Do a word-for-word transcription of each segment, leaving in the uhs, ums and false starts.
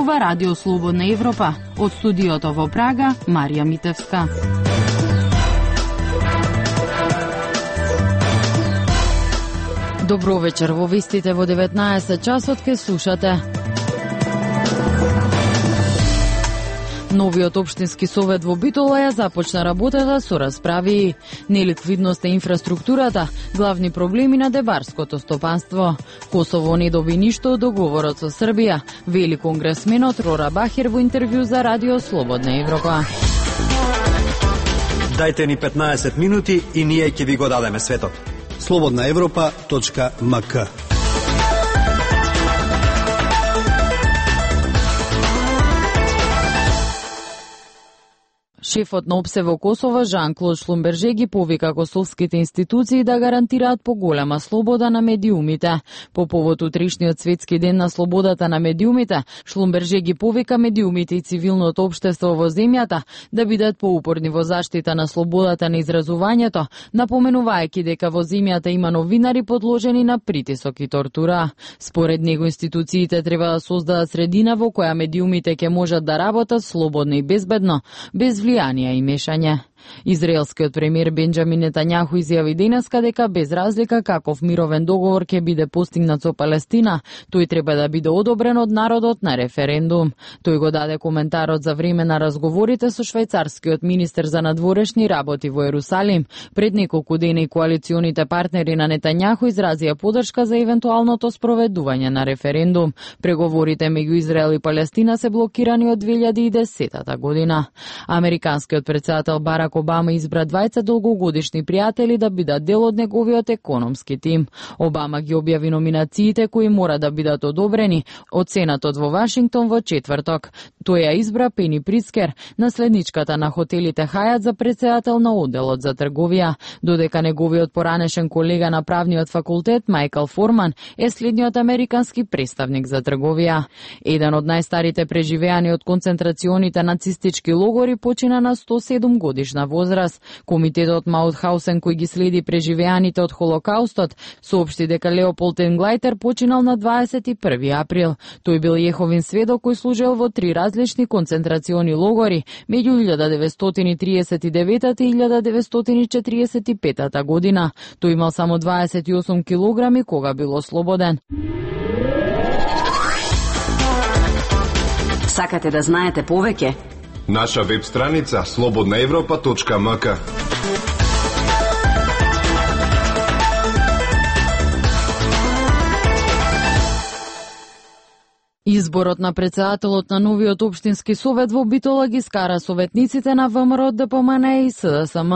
зборува Радио Слободна Европа. Од студиото во Прага, Марија Митевска. Добро вечер, во вестите во деветнаесет часот ке слушате. Новиот општински совет во Битола ја започна работата со расправи. Неликвидност е инфраструктурата, главни проблеми на дебарското стопанство. Косово не доби ништо од договорот со Србија, вели конгресменот Рора Бахер во интервју за Радио Слободна Европа. Дајте ни петнаесет минути и ние ќе ви го дадеме светот. слободна европа точка ем ка. Шефот на ОПСЕ во Косово, Жан-Клод Шлумберже, ги повика косовските институции да гарантираат поголема слобода на медиумите. По повод утрешниот светски ден на слободата на медиумите, Шлумберже ги повика медиумите и цивилното општество во земјата да бидат поупорни во заштита на слободата на изразувањето, напоменувајќи дека во земјата има новинари подложени на притисок и тортура. Според него институциите треба да создадат средина во која медиумите ќе можат да работат слободно и безбедно, без влијание и мешање. Израелскиот премиер Бенџамин Нетањаху изјави денеска дека без разлика каков мировен договор ќе биде постигнат со Палестина, тој треба да биде одобрен од народот на референдум. Тој го даде коментарот за време на разговорите со швајцарскиот министер за надворешни работи во Ерусалим. Пред неколку дена коалиционите партнери на Нетањаху изразија подршка за евентуалното спроведување на референдум. Преговорите меѓу Израел и Палестина се блокирани од две илјади и десета година. Американскиот претседател Барак Обама избра двајца долгогодишни пријатели да бидат дел од неговиот економски тим. Обама ги објави номинациите кои мора да бидат одобрени од Сенатот во Вашингтон во четврток. Тој ја избра Пени Прицкер, наследничката на хотелите Хајат, за претседател на одделот за трговија, додека неговиот поранешен колега на правниот факултет Мајкл Форман е следниот американски представник за трговија. Еден од најстарите преживеани од концентрационите нацистички логори почина на сто и седум годишна возраст. Комитетот Маутхаусен, кој ги следи преживеаните од Холокаустот, соопшти дека Леополд Енглајтер починал на дваесет и први април. Тој бил јеховин сведок кој служел во три различни концентрациони логори меѓу илјада деветстотини и триесет и девета и илјада деветстотини и четириесет и пета година. Тој имал само дваесет и осум килограми кога бил ослободен. Сакате да знаете повеќе? Наша веб страница слободна европа точка ем ка. Изборот на претседателот на новиот општински совет во Битола ги скара советниците на ВМРО, ДПМН и СДСМ.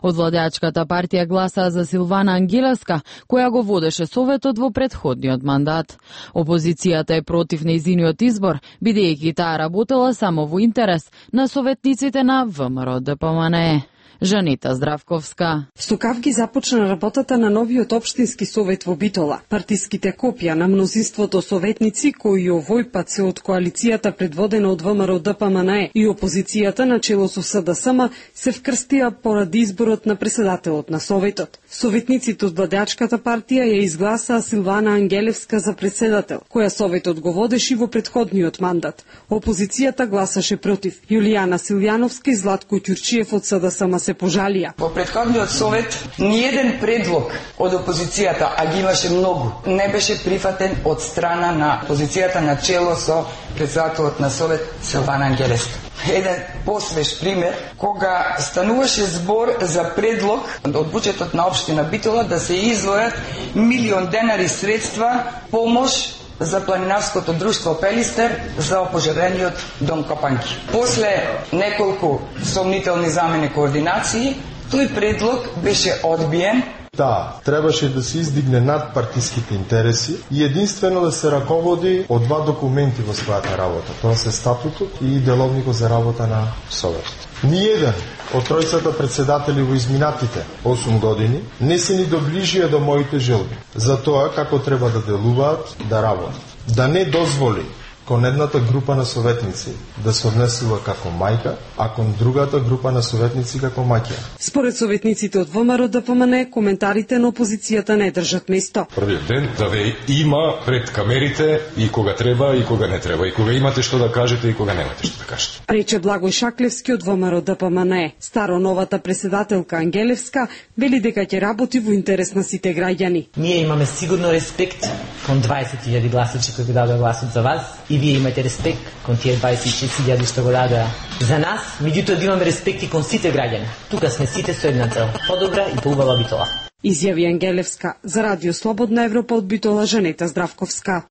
Од владеачката партија гласаа за Силвана Ангелевска, која го водеше советот во претходниот мандат. Опозицијата е против нејзиниот избор, бидејќи таа работела само во интерес на советниците на ВМРО, ДПМН. Жанета Здравковска. Со кавги започна работата на новиот општински совет во Битола. Партиските копија на мнозинството советници, кои овој пат се од коалицијата предводена од ВМРО, ДПМН и опозицијата на чело со СДСМ, се вкрстија поради изборот на претседателот на советот. Советниците од владеачката партија ја изгласаа Силвана Ангелевска за претседател, која советот го водеше во претходниот мандат. Опозицијата гласаше против. Јулијана Силјановска и Златко Ќурчиев од СДСМ се пожалија. Во претходниот совет ниеден предлог од опозицијата, а ги имаше многу, не беше прифатен од страна на опозицијата на чело со претседателот на совет Силвана Ангелевска. Еден посвеж пример, кога стануваше збор за предлог од буџетот на општина Битола да се издвојат милион денари средства помош за планинарското друштво Пелистер за опожарениот дом Копанки. После неколку сомнителни замени координации, тој предлог беше одбиен. Да, требаше да се издигне над партиските интереси и единствено да се раководи од два документи во својата работа. Тоа се статутот и деловникот за работа на Советот. Ниеден од тројцата претседатели во изминатите осум години не се ни доближија до моите желби за тоа како треба да делуваат, да работат. Да не дозволи кон едната група на советници да се однесува како мајка, а кон другата група на советници како маќа. Според советниците од ВМРО Д П М Н, коментарите на опозицијата не држат место. Првиот ден да ве има пред камерите и кога треба и кога не треба, и кога имате што да кажете и кога немате што да кажете. Рече Благој Шаклевски од ВМРО Д П М Н. Старо новата председателка Ангелевска вели дека ќе работи во интерес на сите граѓани. Ние имаме сигурно респект кон дваесет илјади гласачи кои го дадоа гласот за вас и вие имате респект кон тие дваесет и шест илјади што го дадоа за нас, меѓутоа да имаме респект и кон сите граѓани. Тука сме сите со една цел, подобра и поубава Битола. Изјави Ангелевска за Радио Слободна Европа од Битола Жанета Здравковска.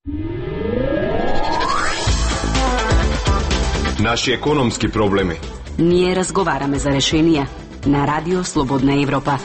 Наши економски проблеми. Ние разговараме за решенија на Радио Слободна Европа.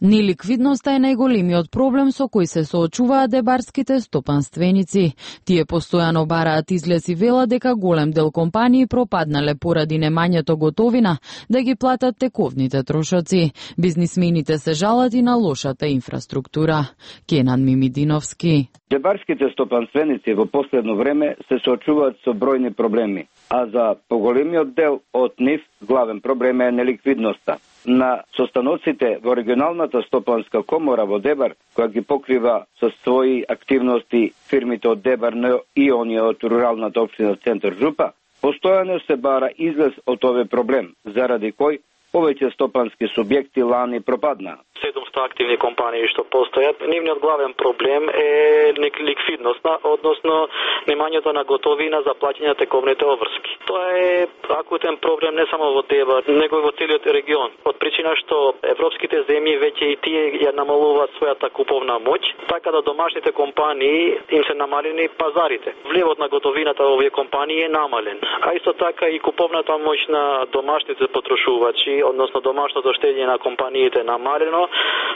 Неликвидноста е најголемиот проблем со кој се соочуваат дебарските стопанственици. Тие постојано бараат излез и велат дека голем дел компании пропаднале поради немањето готовина да ги платат тековните трошоци. Бизнисмените се жалат и на лошата инфраструктура. Кенан Мимидиновски. Дебарските стопанственици во последно време се соочуваат со бројни проблеми, а за поголемиот дел од нив главен проблем е неликвидноста. На состаноците во регионалната стопанска комора во Дебар, која ги покрива со своји активности фирмите од Дебар и оние од руралната општина Центар Жупа, постојано се бара излез од овој проблем, заради кој повеќе стопански субјекти лани пропаднаа. седумстотини активни компании што постојат, нивниот главен проблем е ликвидноста, односно немањето на готовина за плаќање на тековните обврски. Тоа е акутен проблем не само во Дебар, него и во целиот регион. Од причина што европските земји веќе и тие ја намалуваат својата куповна моќ, така да домашните компании им се намалени пазарите. Влевот на готовината во овие компании е намален, а исто така и куповната моќ на домашните потрошувачи, односно домашното штење на компаниите е намалено,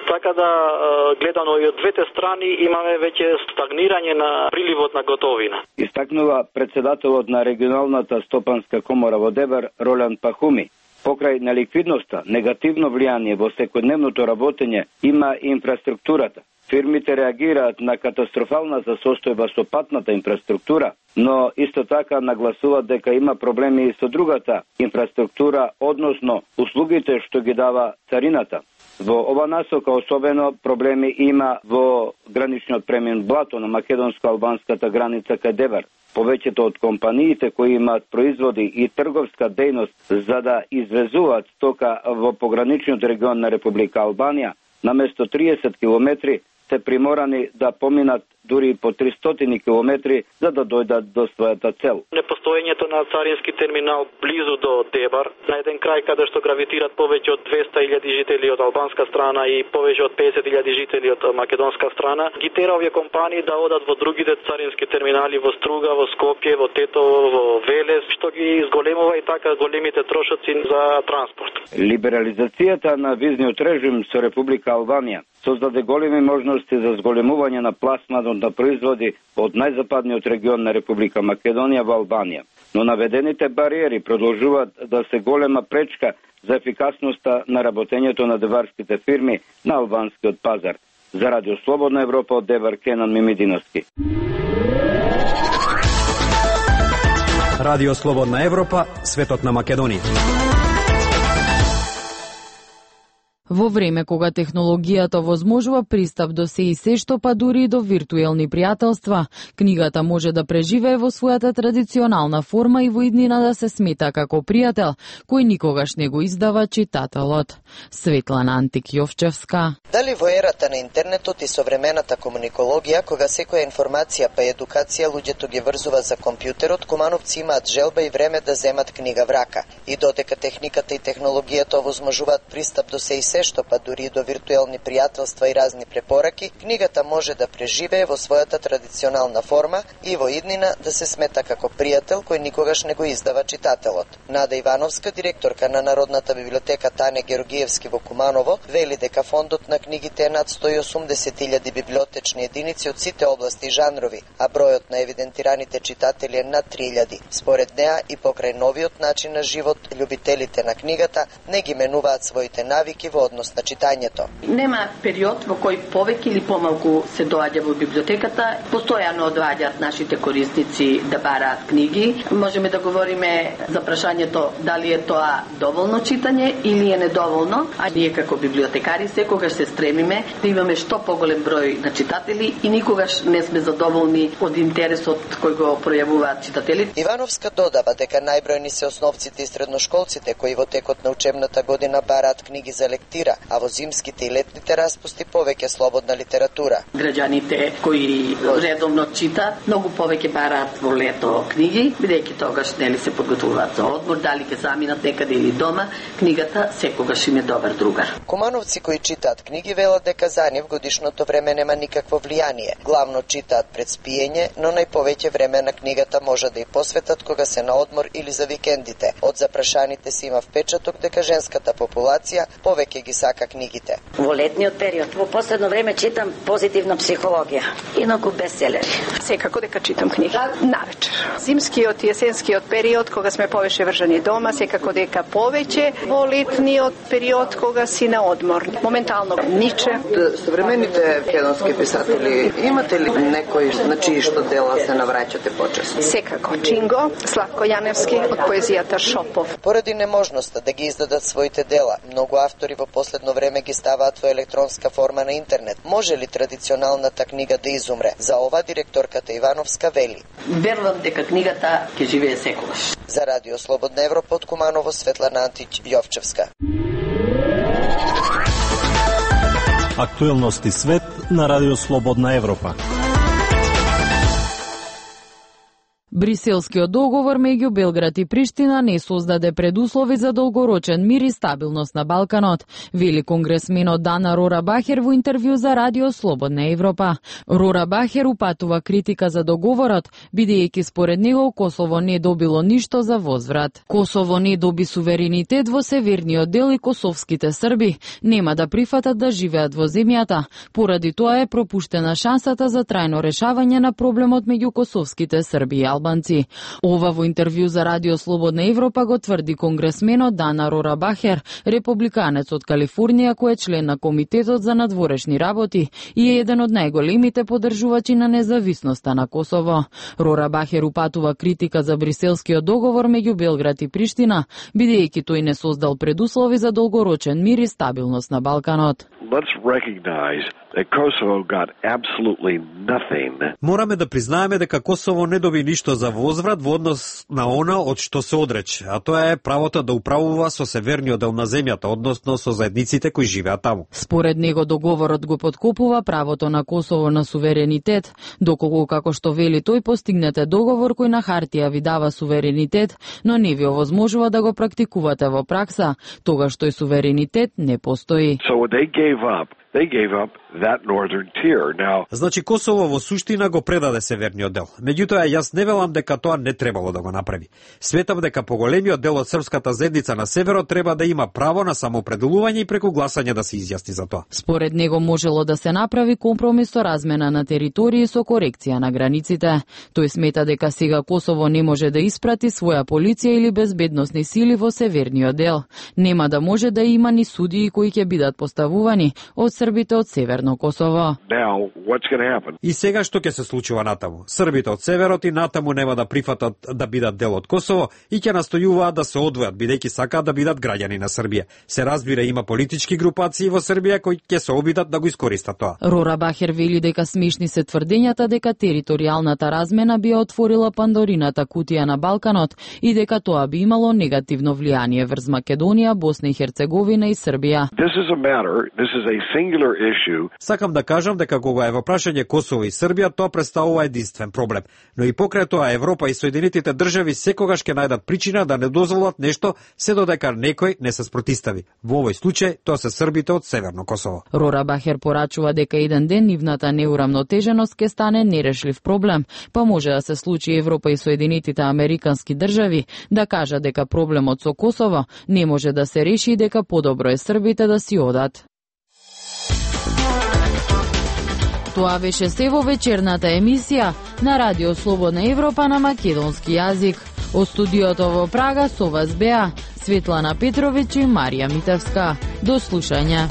така да гледано и од двете страни имаме веќе стагнирање на приливот на готовина. Истакнува председателот на регионалната стопанска комора во Дебар Ролян Пахуми. Покрај неликвидноста, негативно влијание во секојдневното работење има инфраструктурата. Фирмите реагираат на катастрофалната состојба со патната инфраструктура, но исто така нагласуваат дека има проблеми и со другата инфраструктура, односно услугите што ги дава царината. Во ова насока особено проблеми има во граничниот премин Блато на македонско-албанската граница кај Дебар. Повеќето од компаниите кои имаат производи и трговска дејност за да извезуваат стока во пограничниот регион на Република Албанија, наместо триесет километри се приморани да поминат дури по тристотини километри за да дојдат до својата цел. Непостоењето на царински терминал близу до Дебар, на еден крај каде што гравитират повеќе од двеста илјади жители од албанска страна и повеќе од педесет илјади жители од македонска страна, ги тера овие компании да одат во другите царински терминали во Струга, во Скопје, во Тетово, во Велес, што ги изголемува и така големите трошоци за транспорт. Либерализацијата на визниот режим со Република Албанија создаде големи можности за зголемување на пласманот на производи од најзападниот регион на Република Македонија во Албанија. Но наведените бариери продолжуваат да се голема пречка за ефикасноста на работењето на дебарските фирми на албанскиот пазар. За Радио Слободна Европа од Дебар, Кенан Мимидиновски. Радио Слободна Европа, светот на Македонија. Во време кога технологијата возможува пристап до се и се што, па дури и до виртуелни пријателства, книгата може да преживее во својата традиционална форма и во иднина да се смета како пријател, кој никогаш не го издава читателот. Светлана Антик-Јовчевска. Дали во ерата на интернетот и современата комуникологија, кога секоја информација па едукација луѓето ги врзува за компјутерот, кумановци имаат желба и време да земат книга в рака. И додека техниката и технологијата овозможуваат пристап до се и се што, па дури и до виртуелни пријателства и разни препораки, книгата може да преживее во својата традиционална форма и во иднина да се смета како пријател кој никогаш не го издава читателот. Нада Ивановска, директорка на Народната библиотека Тане Георгиевски во Куманово, вели дека фондот на книгите е над сто и осумдесет илјади библиотечни единици од сите области и жанрови, а бројот на евидентираните читатели е над три илјади. Според неа и покрај новиот начин на живот, љубителите на книгата не ги менуваат своите навики во однос на читањето. Нема период во кој повеќе или помалку се доаѓа во библиотеката. Постојано доаѓаат нашите корисници да бараат книги. Можеме да говориме за прашањето дали е тоа доволно читање или е недоволно, а ние како библиотекари секогаш се стремиме да имаме што поголем број на читатели и никогаш не сме задоволни од интересот кој го пројавуваат читателите. Ивановска додава дека најбројни се основците и средношколците кои во текот на учебната година бараат книги за лектира, а во зимските и летните распусти повеќе слободна литература. Граѓаните кои редовно читаат многу повеќе бараат во лето книги, бидејќи тогаш нели се подготвуваат за одмор, дали ќе заминат некаде или дома, книгата секогаш им е добар другар. Кумановци кои читаат книги велат дека за нив годишното време нема никакво влијание. Главно читаат пред спиење, но најповеќе време на книгата може да и посветат кога се на одмор или за викендите. Од запрашаните се има впечаток дека женската популација повеќе ги сака книгите. Во летниот период, во последно време читам позитивна психологија, инаку бестселери. Секако дека читам книги навечер. Зимскиот и есенскиот период кога сме повеќе вржани дома, секако дека повеќе во летниот период кога си на одмор. Моментално Ниче. Современите македонски писатели, имате ли некој на чии што дела се навраќате почесто? Секако Чинго, Славко Јаневски од поезијата Шопов. Поради неможноста да ги издадат своите дела, многу автори во последно време ги ставаат во електронска форма на интернет. Може ли традиционалната книга да изумре? За ова директорката Ивановска вели: верувам дека книгата ќе живее секогаш. За Радио Слободна Европа од Куманово, Светлана Антич Јовчевска. Актуелности свет на Радио Слободна Европа. Бриселскиот договор меѓу Белград и Приштина не создаде предуслови за долгорочен мир и стабилност на Балканот, вели конгресменот Дана Рора Бахер во интервју за Радио Слободна Европа. Рора Бахер упатува критика за договорот, бидејќи според него Косово не добило ништо за возврат. Косово не доби суверенитет во северниот дел и косовските срби нема да прифатат да живеат во земјата. Поради тоа е пропуштена шансата за трајно решавање на проблемот меѓу косовските срби и албанци. Ова во интервју за Радио Слободна Европа го тврди конгресменот Дана Рора Бахер, републиканец од Калифорнија кој е член на Комитетот за надворешни работи и е еден од најголемите поддржувачи на независноста на Косово. Рора Бахер упатува критика за Бриселскиот договор меѓу Белград и Приштина, бидејќи тој не создал предуслови за долгорочен мир и стабилност на Балканот. Let's recognize that Kosovo got absolutely nothing. Мораме да признаеме дека Косово не доби ништо за возврат во однос на она од што се одрече, а тоа е правото да управува со северниот дел на земјата, односно со заедниците кои живеат таму. Според него договорот го подкопува правото на Косово на суверенитет, доколку како што вели тој постигнете договор кој на хартија ви дава суверенитет, но не ви овозможува да го практикувате во пракса, тогаш тој суверенитет не постои. So what they gave up, they gave up that northern tier. Now, значи Косово во суштина го предаде северниот дел. Меѓутоа јас не велам дека тоа не требало да го направи. Светам дека поголемиот дел од српската заедница на северот треба да има право на самоопределување и преку гласање да се изјасни за тоа. Според него можело да се направи компромис со размена на територии со корекција на границите. Тој смета дека сега Косово не може да испрати своја полиција или безбедносни сили во северниот дел. Нема да може да има ни судии кои ќе бидат поставувани од србите од Северно Косово. Now, what's going to happen? И сега што ќе се случува натаму? Србите од северот и натаму нема да прифатат да бидат дел од Косово и ќе настојуваат да се одвојат бидејќи сакаат да бидат граѓани на Србија. Се разбира, има политички групации во Србија кои ќе се обидат да го искористат тоа. Рора Бахер вели дека смешни се тврдењата дека територијалната размена би отворила Пандорината кутија на Балканот и дека тоа би имало негативно влијание врз Македонија, Босна и Херцеговина и Србија. This is a matter, this is a singular issue. Сакам да кажам дека кога е во прашање Косово и Србија, тоа представува единствен проблем. Но и покрај тоа Европа и Соединетите држави секогаш ќе најдат причина да не дозволат нешто се додека некој не се спротистави. Во овој случај тоа се србите од Северно Косово. Рора Бахер порачува дека еден ден нивната неурамнотеженост ќе стане нерешлив проблем, па може да се случи Европа и Соединетите американски држави да кажат дека проблемот со Косово не може да се реши и дека подобро е србите да си одат. Тоа беше се во вечерната емисија на Радио Слободна Европа на македонски јазик. Од студиото во Прага со вас беа Светлана Петровиќ и Марија Митевска. До слушање.